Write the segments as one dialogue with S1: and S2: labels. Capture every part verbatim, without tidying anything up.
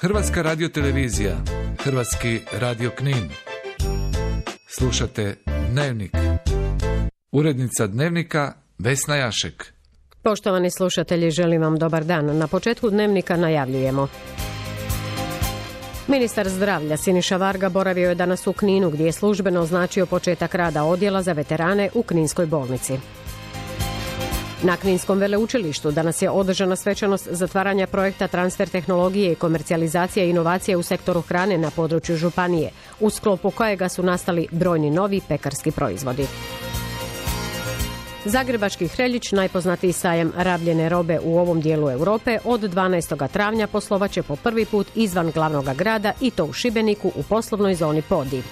S1: Hrvatska radiotelevizija, Hrvatski radio Knin. Slušate Dnevnik. Urednica Dnevnika Vesna Jašek.
S2: Poštovani slušatelji, želim vam dobar dan. Na početku Dnevnika najavljujemo. Ministar zdravlja Siniša Varga boravio je danas u Kninu, gdje je službeno označio početak rada odjela za veterane u Kninskoj bolnici. Na Kninskom veleučilištu danas je održana svečanost zatvaranja projekta transfer tehnologije i komercijalizacije i inovacije u sektoru hrane na području županije, u sklopu kojega su nastali brojni novi pekarski proizvodi. Zagrebački Hreljić, najpoznatiji sajam rabljene robe u ovom dijelu Europe, od dvanaestog travnja poslovaće po prvi put izvan glavnog grada i to u Šibeniku u poslovnoj zoni Podij.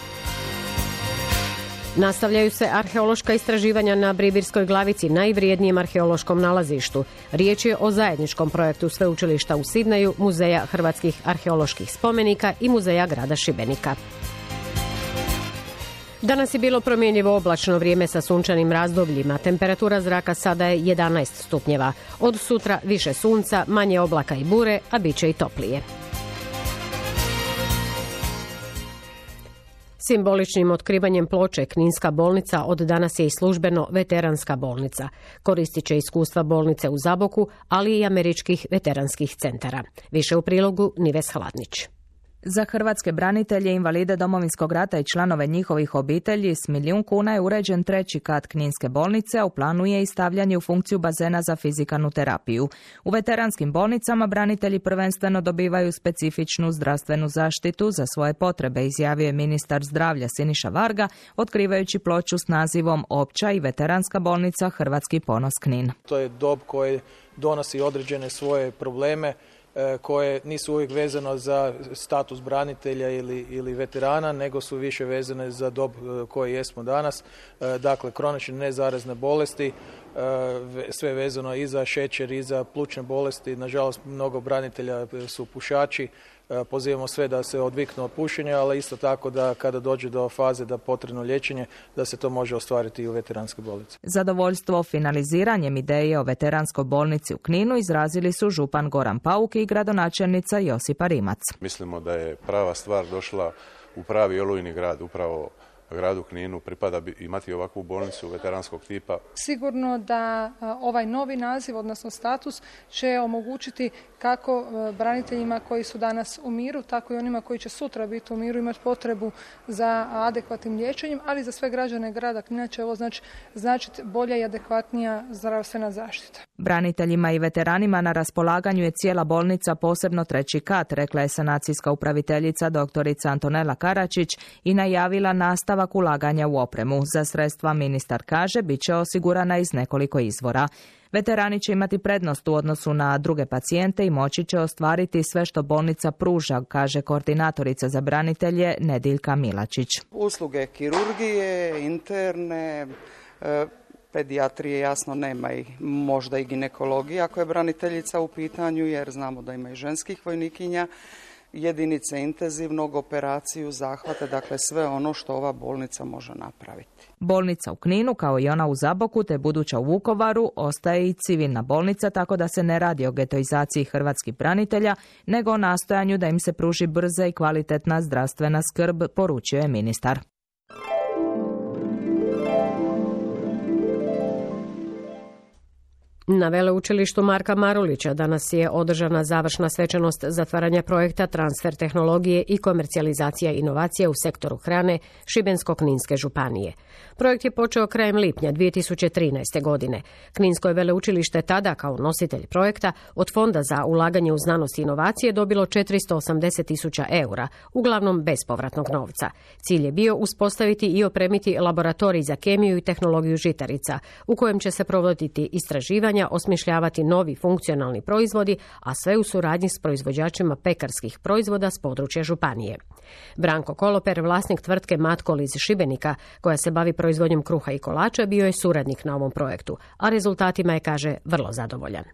S2: Nastavljaju se arheološka istraživanja na Bribirskoj glavici, najvrijednijem arheološkom nalazištu. Riječ je o zajedničkom projektu Sveučilišta u Sidneju, Muzeja hrvatskih arheoloških spomenika i Muzeja grada Šibenika. Danas je bilo promjenjivo oblačno vrijeme sa sunčanim razdobljima. Temperatura zraka sada je jedanaest stupnjeva. Od sutra više sunca, manje oblaka i bure, a bit će i toplije. Simboličnim otkrivanjem ploče Kninska bolnica od danas je i službeno veteranska bolnica. Koristit će iskustva bolnice u Zaboku, ali i američkih veteranskih centara. Više u prilogu Nives Hladnić.
S3: Za hrvatske branitelje, invalide Domovinskog rata i članove njihovih obitelji s milijun kuna je uređen treći kat Kninske bolnice, a u planu je i stavljanje u funkciju bazena za fizikalnu terapiju. U veteranskim bolnicama branitelji prvenstveno dobivaju specifičnu zdravstvenu zaštitu za svoje potrebe, izjavio je ministar zdravlja Siniša Varga, otkrivajući ploču s nazivom Opća i veteranska bolnica Hrvatski ponos Knin.
S4: To je dob koji donosi određene svoje probleme koje nisu uvijek vezano za status branitelja ili, ili veterana, nego su više vezane za dob koji jesmo danas. Dakle, kronične nezarazne bolesti, sve vezano i za šećer i za plućne bolesti. Nažalost, mnogo branitelja su pušači. Pozivamo sve da se odviknu od pušenja, ali isto tako da kada dođe do faze da potrebno liječenje, da se to može ostvariti i u veteranskoj bolnici.
S3: Zadovoljstvo finaliziranjem ideje o veteranskoj bolnici u Kninu izrazili su župan Goran Pauk i gradonačelnica Josipa Rimac.
S5: Mislimo da je prava stvar došla u pravi olujni grad, upravo gradu Kninu pripada imati ovakvu bolnicu veteranskog tipa.
S6: Sigurno da ovaj novi naziv, odnosno status, će omogućiti kako braniteljima koji su danas u miru, tako i onima koji će sutra biti u miru imati potrebu za adekvatnim liječenjem, ali za sve građane grada Knina će ovo znači, značiti bolja i adekvatnija zdravstvena zaštita.
S3: Braniteljima i veteranima na raspolaganju je cijela bolnica, posebno treći kat, rekla je sanacijska upraviteljica doktorica Antonela Karačić i najavila nastavak ulaganja u opremu. Za sredstva, ministar kaže, bit će osigurana iz nekoliko izvora. Veterani će imati prednost u odnosu na druge pacijente i moći će ostvariti sve što bolnica pruža, kaže koordinatorica za branitelje Nediljka Milačić.
S7: Usluge kirurgije, interne, e, pedijatrije jasno nema i možda i ginekologija ako je braniteljica u pitanju, jer znamo da ima i ženskih vojnikinja, jedinice intenzivnog, operaciju, zahvate, dakle sve ono što ova bolnica može napraviti.
S3: Bolnica u Kninu, kao i ona u Zaboku te buduća u Vukovaru, ostaje i civilna bolnica, tako da se ne radi o getoizaciji hrvatskih branitelja, nego o nastojanju da im se pruži brza i kvalitetna zdravstvena skrb, poručio je ministar.
S2: Na veleučilištu Marka Marulića danas je održana završna svečanost zatvaranja projekta transfer tehnologije i komercijalizacija inovacija u sektoru hrane Šibensko-Kninske županije. Projekt je počeo krajem lipnja dvije tisuće trinaeste. godine. Kninsko je veleučilište tada, kao nositelj projekta, od Fonda za ulaganje u znanost i inovacije dobilo četiristo osamdeset tisuća eura, uglavnom bespovratnog novca. Cilj je bio uspostaviti i opremiti laboratorij za kemiju i tehnologiju žitarica, u kojem će se provoditi istraživanja, osmišljavati novi funkcionalni proizvodi, a sve u suradnji s proizvođačima pekarskih proizvoda s područja županije. Branko Koloper, vlasnik tvrtke Matkol iz Šibenika, koja se bavi proizvodnjom kruha i kolača, bio je suradnik na ovom projektu, a rezultatima je, kaže, vrlo zadovoljan.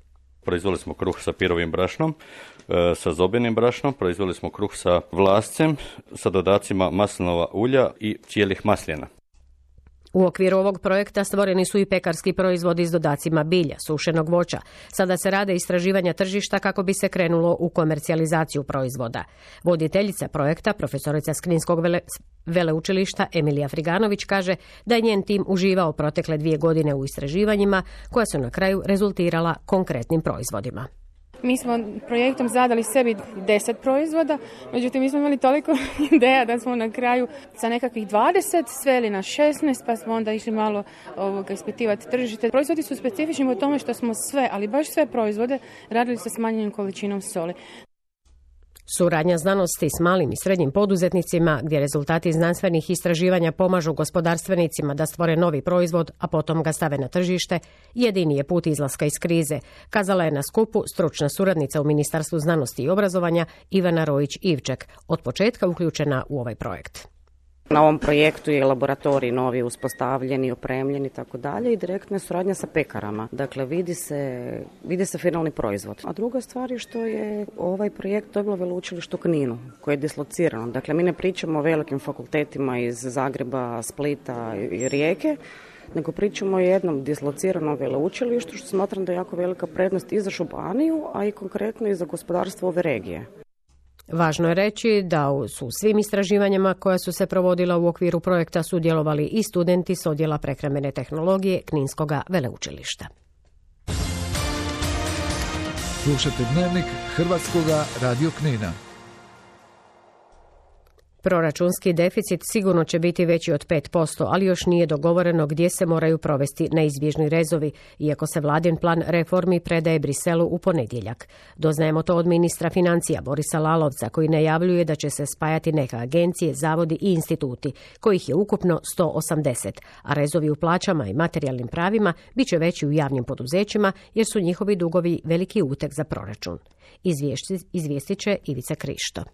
S8: Proizveli smo kruh sa pirovim brašnom, sa zobenim brašnom, proizveli smo kruh sa vlascem, sa dodacima maslinova ulja i cijelih masljena.
S2: U okviru ovog projekta stvoreni su i pekarski proizvodi s dodacima bilja, sušenog voća. Sada se rade istraživanja tržišta kako bi se krenulo u komercijalizaciju proizvoda. Voditeljica projekta, profesorica s Kninskog vele, veleučilišta Emilija Friganović, kaže da je njen tim uživao protekle dvije godine u istraživanjima koja su na kraju rezultirala konkretnim proizvodima.
S9: Mi smo projektom zadali sebi deset proizvoda, međutim mi smo imali toliko ideja da smo na kraju sa nekakvih dvadeset sveli na šesnaest, pa smo onda išli malo ovoga, ispitivati tržište. Proizvodi su specifični u tome što smo sve, ali baš sve proizvode radili sa smanjenom količinom soli.
S2: Suradnja znanosti s malim i srednjim poduzetnicima, gdje rezultati znanstvenih istraživanja pomažu gospodarstvenicima da stvore novi proizvod, a potom ga stave na tržište, jedini je put izlaska iz krize, kazala je na skupu stručna suradnica u Ministarstvu znanosti i obrazovanja Ivana Rojić-Ivček, od početka uključena u ovaj projekt.
S10: Na ovom projektu je laboratorij novi uspostavljeni, opremljeni i tako dalje i direktna je suradnja sa pekarama. Dakle, vidi se, vidi se finalni proizvod. A druga stvar je što je ovaj projekt dobilo veleučilište u Kninu, koje je dislocirano. Dakle, mi ne pričamo o velikim fakultetima iz Zagreba, Splita i Rijeke, nego pričamo o jednom dislociranom veleučilištu, što smatram da je jako velika prednost i za županiju, a i konkretno i za gospodarstvo ove regije.
S2: Važno je reći da su svim istraživanjima koja su se provodila u okviru projekta sudjelovali i studenti s odjela prehrambene tehnologije Kninskoga veleučilišta.
S1: Slušate Dnevnik Hrvatskoga radio Knina.
S2: Proračunski deficit sigurno će biti veći od pet posto, ali još nije dogovoreno gdje se moraju provesti neizbježni rezovi, iako se vladin plan reformi predaje Briselu u ponedjeljak. Doznajemo to od ministra financija Borisa Lalovca, koji najavljuje da će se spajati neke agencije, zavodi i instituti, kojih je ukupno sto osamdeset, a rezovi u plaćama i materijalnim pravima bit će veći u javnim poduzećima jer su njihovi dugovi veliki uteg za proračun. Izvijestit će Ivica Krišto.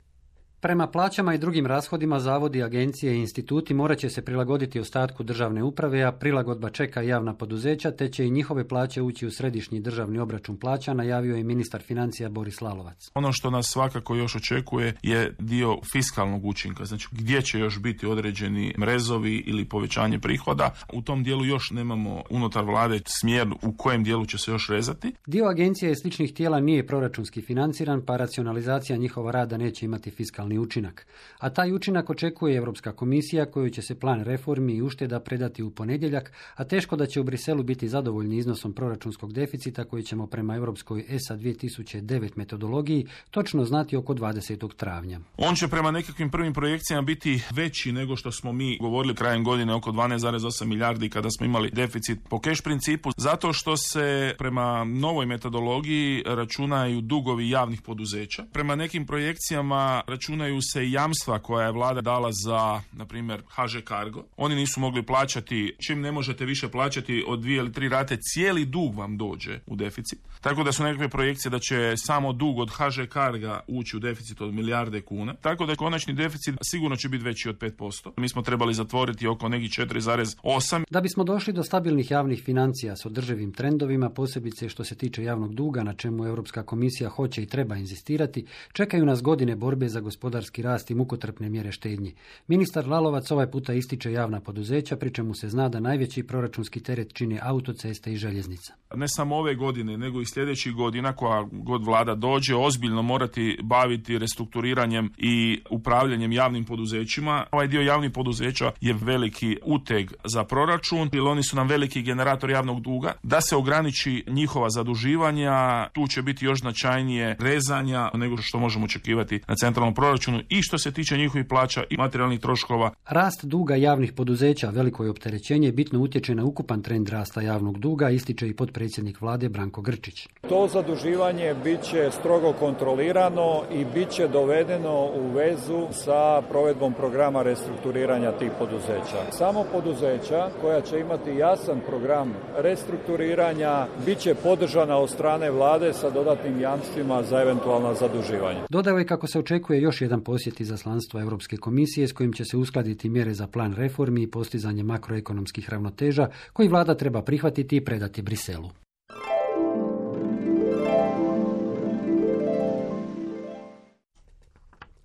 S11: Prema plaćama i drugim rashodima zavodi, agencije i instituti morat će se prilagoditi ostatku državne uprave, a prilagodba čeka javna poduzeća, te će i njihove plaće ući u središnji državni obračun plaća, najavio je ministar financija Boris Lalovac.
S12: Ono što nas svakako još očekuje je dio fiskalnog učinka, znači gdje će još biti određeni rezovi ili povećanje prihoda. U tom dijelu još nemamo unutar vlade smjer u kojem dijelu će se još rezati.
S11: Dio agencija i sličnih tijela nije proračunski financiran, pa racionalizacija njihova rada neće imati fiskalni učinak. A taj učinak očekuje Europska komisija, koju će se plan reformi i ušteda predati u ponedjeljak, a teško da će u Briselu biti zadovoljni iznosom proračunskog deficita koji ćemo prema Europskoj E S A dvije tisuće devet metodologiji točno znati oko dvadesetog travnja.
S12: On će prema nekakvim prvim projekcijama biti veći nego što smo mi govorili krajem godine, oko dvanaest zarez osam milijardi kada smo imali deficit po keš principu, zato što se prema novoj metodologiji računaju dugovi javnih poduzeća. Prema nekim projekcijama računaju se jamstva koja je vlada dala za, na primjer, H Ž Cargo. Oni nisu mogli plaćati, čim ne možete više plaćati od dvije ili tri rate, cijeli dug vam dođe u deficit. Tako da su nekakve projekcije da će samo dug od H Ž Carga ući u deficit od milijarde kuna. Tako da konačni deficit sigurno će biti veći od pet posto. Mi smo trebali zatvoriti oko nekih četiri zarez osam.
S11: Da bismo došli do stabilnih javnih financija s održivim trendovima, posebice što se tiče javnog duga, na čemu Europska komisija hoće i treba inzistirati, čekaju nas godine borbe za gospodarski rast i mukotrpne mjere štednje. Ministar Lalovac ovaj puta ističe javna poduzeća, pri čemu se zna da najveći proračunski teret čine autoceste i željeznica.
S12: Ne samo ove godine, nego i sljedećih godina, koja god vlada dođe, ozbiljno morati baviti restrukturiranjem i upravljanjem javnim poduzećima. Ovaj dio javnih poduzeća je veliki uteg za proračun, jer oni su nam veliki generator javnog duga. Da se ograniči njihova zaduživanja, tu će biti još značajnije rezanja nego što možemo očekivati na centralnom proračunu i što se tiče njihovih plaća i materijalnih troškova.
S11: Rast duga javnih poduzeća, veliko je opterećenje, bitno utječe na ukupan trend rasta javnog duga, ističe i potpredsjednik vlade Branko Grčić.
S13: To zaduživanje bit će strogo kontrolirano i bit će dovedeno u vezu sa provedbom programa restrukturiranja tih poduzeća. Samo poduzeća koja će imati jasan program restrukturiranja bit će podržana od strane vlade sa dodatnim jamstvima za eventualna zaduživanja.
S11: Dodao je kako se očekuje još jedan posjet izaslanstva Europske komisije s kojim će se uskladiti mjere za plan reformi i postizanje makroekonomskih ravnoteža koji vlada treba prihvatiti i predati Briselu.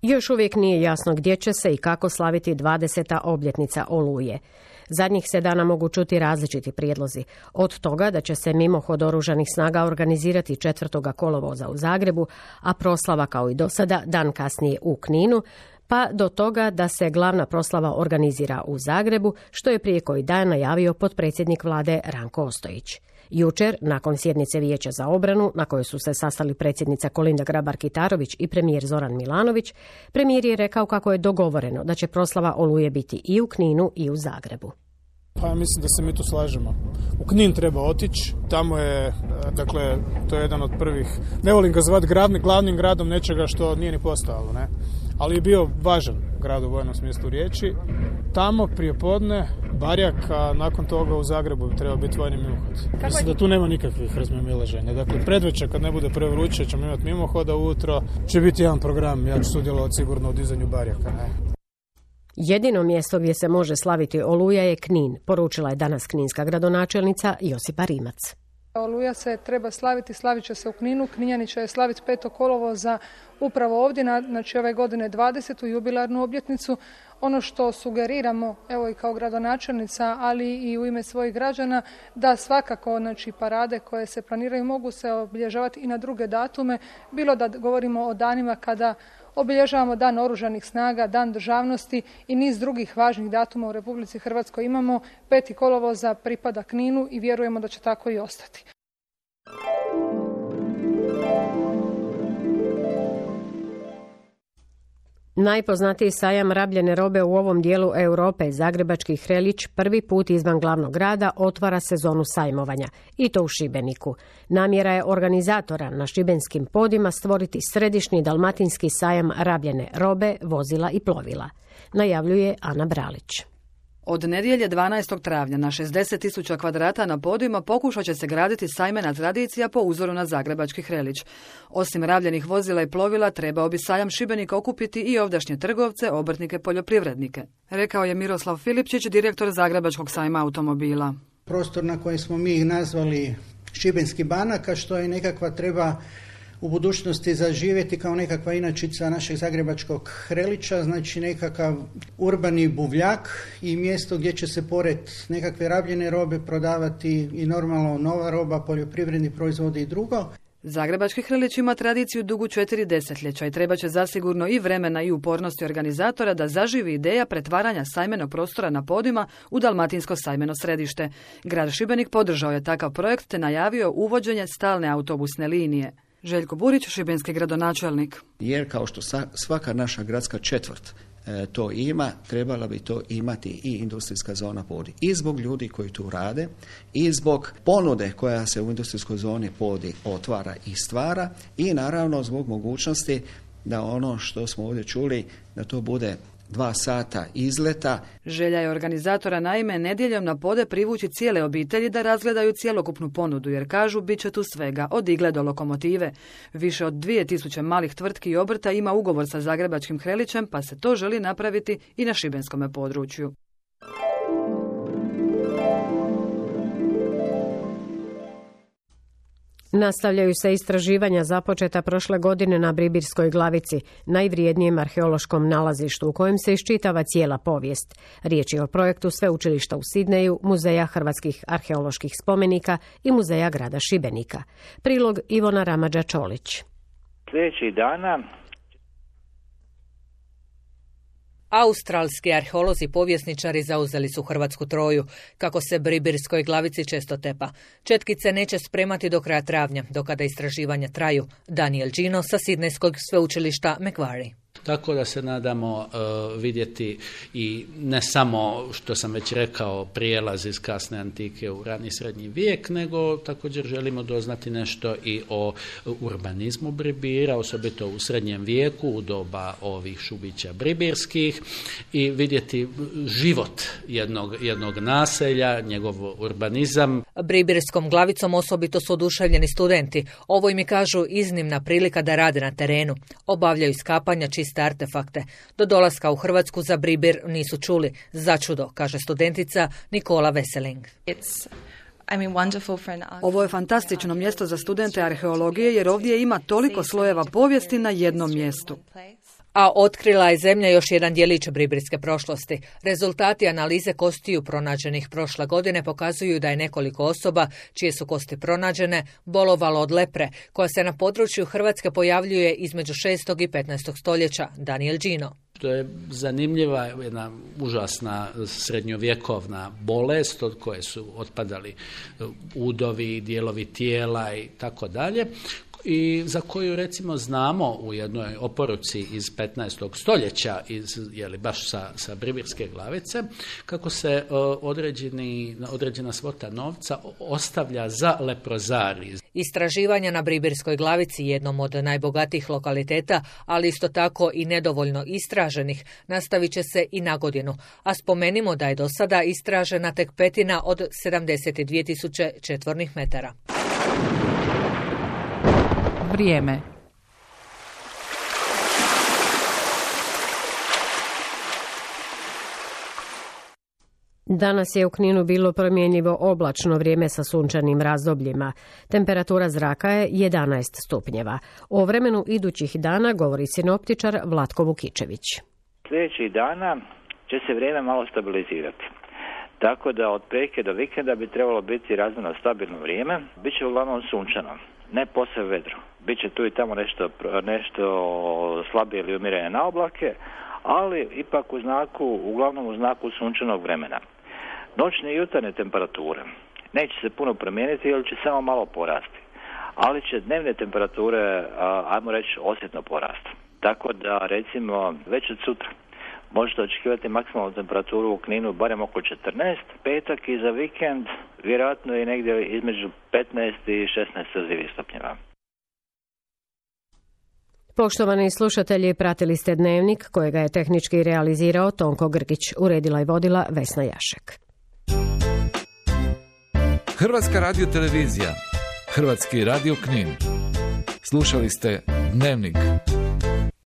S2: Još uvijek nije jasno gdje će se i kako slaviti dvadeseta obljetnica Oluje. Zadnjih se dana mogu čuti različiti prijedlozi. Od toga da će se mimohod oružanih snaga organizirati četvrtog kolovoza u Zagrebu, a proslava kao i do sada dan kasnije u Kninu, pa do toga da se glavna proslava organizira u Zagrebu, što je prije koji dan najavio potpredsjednik vlade Ranko Ostojić. Jučer, nakon sjednice Vijeća za obranu, na kojoj su se sastali predsjednica Kolinda Grabar-Kitarović i premijer Zoran Milanović, premijer je rekao kako je dogovoreno da će proslava Oluje biti i u Kninu i u Zagrebu.
S14: Pa mislim da se mi tu slažemo. U Knin treba otići, tamo je, dakle, to je jedan od prvih, ne volim ga zvati glavni, glavnim gradom nečega što nije ni postojalo, ne? Ali je bio važan grad u vojnom smislu riječi. Tamo prije podne Barjak, a nakon toga u Zagrebu bi trebao biti vojni mimohod. Mislim da tu nema nikakvih razmimoilaženja. Dakle, predvečer kad ne bude prevruće ćemo imati mimohoda, ujutro će biti jedan program, ja ću sudjelovati sigurno u dizanju Barjaka, ne?
S2: Jedino mjesto gdje se može slaviti Oluja je Knin, poručila je danas kninska gradonačelnica Josipa Rimac.
S6: Oluja se treba slaviti, slavit će se u Kninu, Kninjani će slaviti petog kolovoza upravo ovdje, znači ove godine dvadesetu jubilarnu obljetnicu. Ono što sugeriramo, evo i kao gradonačelnica, ali i u ime svojih građana, da svakako znači, parade koje se planiraju mogu se obilježavati i na druge datume, bilo da govorimo o danima kada obilježavamo Dan oružanih snaga, Dan državnosti i niz drugih važnih datuma u Republici Hrvatskoj imamo. Peti kolovoza pripada Kninu i vjerujemo da će tako i ostati.
S2: Najpoznatiji sajam rabljene robe u ovom dijelu Europe, Zagrebački Hrelić, prvi put izvan glavnog grada otvara sezonu sajmovanja, i to u Šibeniku. Namjera je organizatora na šibenskim podima stvoriti središnji dalmatinski sajam rabljene robe, vozila i plovila, najavljuje Ana Bralić.
S15: Od nedjelje dvanaestog travnja na šezdeset tisuća kvadrata na podijima pokušat će se graditi sajmena tradicija po uzoru na Zagrebački Hrelić. Osim rabljenih vozila i plovila, trebao bi sajam Šibenika okupiti i ovdašnje trgovce, obrtnike, poljoprivrednike, rekao je Miroslav Filipčić, direktor Zagrebačkog sajma automobila.
S16: Prostor na koji smo mi nazvali Šibenski banak, a što je nekakva treba u budućnosti zaživjeti kao nekakva inačica našeg Zagrebačkog Hrelića, znači nekakav urbani buvljak i mjesto gdje će se pored nekakve rabljene robe prodavati i normalno nova roba, poljoprivredni proizvodi i drugo.
S15: Zagrebački Hrelić ima tradiciju dugu četiri desetljeća i treba će zasigurno i vremena i upornosti organizatora da zaživi ideja pretvaranja sajmenog prostora na podima u dalmatinsko sajmeno središte. Grad Šibenik podržao je takav projekt te najavio uvođenje stalne autobusne linije. Željko Burić, šibenski gradonačelnik.
S17: Jer kao što svaka naša gradska četvrt e, to ima, trebala bi to imati i industrijska zona Podi. I zbog ljudi koji tu rade, i zbog ponude koja se u industrijskoj zoni Podi otvara i stvara, i naravno zbog mogućnosti da ono što smo ovdje čuli, da to bude dva sata izleta.
S15: Želja je organizatora naime nedjeljom na Pode privući cijele obitelji da razgledaju cjelokupnu ponudu, jer kažu bit će tu svega, od igle do lokomotive. Više od dvije tisuće malih tvrtki i obrta ima ugovor sa Zagrebačkim Hrelićem, pa se to želi napraviti i na šibenskome području.
S2: Nastavljaju se istraživanja započeta prošle godine na Bribirskoj glavici, najvrijednijem arheološkom nalazištu u kojem se iščitava cijela povijest. Riječ je o projektu Sveučilišta u Sidneju, Muzeja hrvatskih arheoloških spomenika i Muzeja grada Šibenika. Prilog Ivona Ramadža-Čolić.
S18: Sljedećih dana
S19: australski arheolozi i povjesničari zauzeli su hrvatsku Troju, kako se Bribirskoj glavici često tepa. Četkice neće spremati do kraja travnja, do kada istraživanja traju. Daniel Gino sa Sidnejskog sveučilišta Macquarie.
S20: Tako da se nadamo uh, vidjeti i ne samo, što sam već rekao, prijelaz iz kasne antike u rani srednji vijek, nego također želimo doznati nešto i o urbanizmu Bribira, osobito u srednjem vijeku, u doba ovih Šubića bribirskih, i vidjeti život jednog, jednog naselja, njegov urbanizam.
S19: Bribirskom glavicom osobito su oduševljeni studenti. Ovo im je, kažu, iznimna prilika da rade na terenu. Obavljaju iskapanja, čiste artefakte. Do dolaska u Hrvatsku za Bribir nisu čuli. Začudo, kaže studentica Nikola Veseling.
S15: Ovo je fantastično mjesto za studente arheologije jer ovdje ima toliko slojeva povijesti na jednom mjestu.
S19: A otkrila je zemlja još jedan djelić bribirske prošlosti. Rezultati analize kostiju pronađenih prošle godine pokazuju da je nekoliko osoba, čije su kosti pronađene, bolovalo od lepre, koja se na području Hrvatske pojavljuje između šestog i petnaestog stoljeća. Daniel Đino.
S20: To je zanimljiva, jedna užasna srednjovjekovna bolest od koje su otpadali udovi, dijelovi tijela i tako dalje, i za koju recimo znamo u jednoj oporuci iz petnaestog stoljeća, iz, jeli, baš sa, sa Bribirske glavice, kako se uh, određeni, određena svota novca ostavlja za leprozari.
S19: Istraživanja na Bribirskoj glavici, jednom od najbogatijih lokaliteta, ali isto tako i nedovoljno istraženih, nastavit će se i na godinu. A spomenimo da je do sada istražena tek petina od sedamdeset dvije tisuće četvornih metara.
S3: Vrijeme.
S2: Danas je u Kninu bilo promjenjivo oblačno vrijeme sa sunčanim razdobljima. Temperatura zraka je jedanaest stupnjeva. O vremenu idućih dana govori sinoptičar Vlatko Vukičević.
S18: Sljedećih dana će se vrijeme malo stabilizirati. Tako da od prijeke do vikenda bi trebalo biti razmjerno stabilno vrijeme. Biće uglavnom sunčano, ne posve vedro. Biće tu i tamo nešto, nešto slabije ili umiranje na oblake, ali ipak u znaku, uglavnom u znaku sunčanog vremena. Noćne i jutarnje temperature neće se puno promijeniti ili će samo malo porasti, ali će dnevne temperature, ajmo reći, osjetno porasti. Tako da, recimo, već od sutra možete očekivati maksimalnu temperaturu u Kninu barem oko četrnaest, petak i za vikend vjerojatno i negdje između petnaest i šesnaest stupnjeva.
S2: Poštovani slušatelji, pratili ste Dnevnik kojega je tehnički realizirao Tonko Grgić, uredila i vodila Vesna Jašek.
S1: Hrvatska radiotelevizija, Hrvatski radio Knin. Slušali ste Dnevnik.